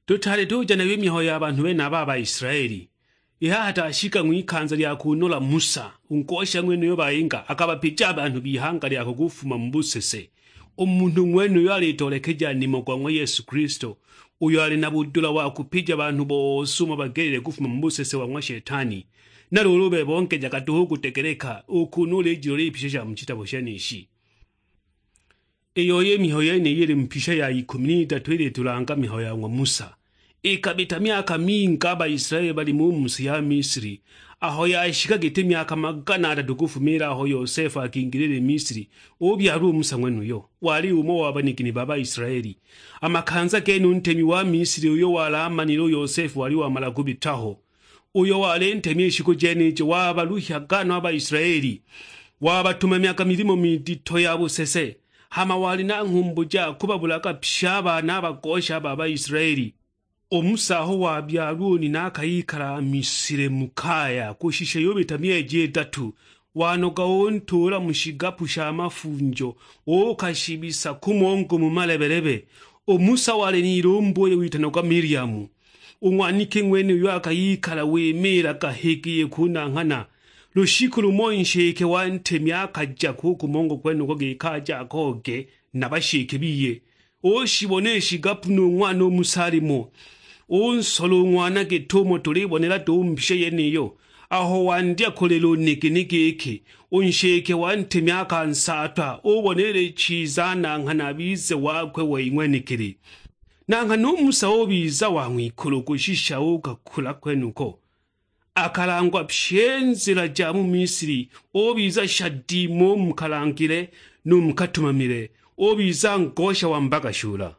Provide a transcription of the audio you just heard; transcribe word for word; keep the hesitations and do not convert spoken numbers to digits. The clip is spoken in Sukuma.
Tūtaali tūja nayo ī mihayo ya banhū benaba a Baisilaeli. I haha tashika ng'wikanza lya kūnola Musa, ū ngosha ng'wenuyo bayīnga akabapīja a banhū b'ihanga lyakwe kūfuma mu būsese. Ū munhū ng'wenuyo alītoolekeja nīmo gwa ng'wa Yesu Kilisto, ūyo alī na būdūla wa kūpīja banhū bose ūmo bagelile kūfuma mu būsese wa ng'wa Shetani. Na lūūlū bebe ongejaga dūhū kūdegeleka, ū kūnū ūlījilola ī pisha sha mu shitabo shenīshi. Ī yoi ī mihayo yenīyī īlī mu pisha ya ikūmi n'idatu īlītūlanga mihayo ya ng'wa Musa. Īkabīta myaka mingī a Baisilaeli balī mu mu sī ya Misili. Aho yashika gītī myaka magana adatū kūfuma ilwe aho Yosefu akingīlile ī Misili, ūbyalwa ū Musa ng'wenūyo, walī ūmò wa banigini ba Baisilaeli. A makanza gene ū ntemi wa Misili ūyo walī amanile ū Yosefu walī wamala kūbīta ho. Ūyo walī ntemi ī shikū jenījo wabaluhyaga no a Baisilaeli, wabatumamyaga milīmo midito ya būsese, hama walī na ng'humbu ja kūbabūlaga pye a baana a bagosha ba Baisilaeli. Ū Musa aho wabyalwa ū nina akayikala Misili mu kaya kūshisha yūbīta myeji idatū, wanoga ūntūūla mu shigapu sha mafunjo, ūūkashibisa kūmongo mu malebelebe. Ū Musa walī n'ilumbu ūyo witanagwa Miliamu. Ū ng'waniki ng'wene ūyo akayikala wīmīlaga higī kūnang'hana. Lūshikū lūmo nshīke wa ntemi akaja kū kūmongo kwenūko gīkī aje akooge na bashīke biye. Ūshibona ī shigapu nū ng'wana ū Musa alīmo. Ūnsola ū ng'wana gīt'ūmo tūlībonela duhu mu mpisha yenīyo. Aho wandya kūlila ūnigini gīkī, ū nshīke wa ntemi akansaatwa, ūbonelile chiza anang'hana abize wakwe wei ng'wenekele. Nang'hana ū Musa ūbiza wa ng'wikūlū kūshisha ūkakūla kwenūko. Akalangwa pye nzīla ja mu Misili, ūbiza shadīīma ū mu kalangile nū mu katūmamile, ūbiza ngosha wa mbaga shūla.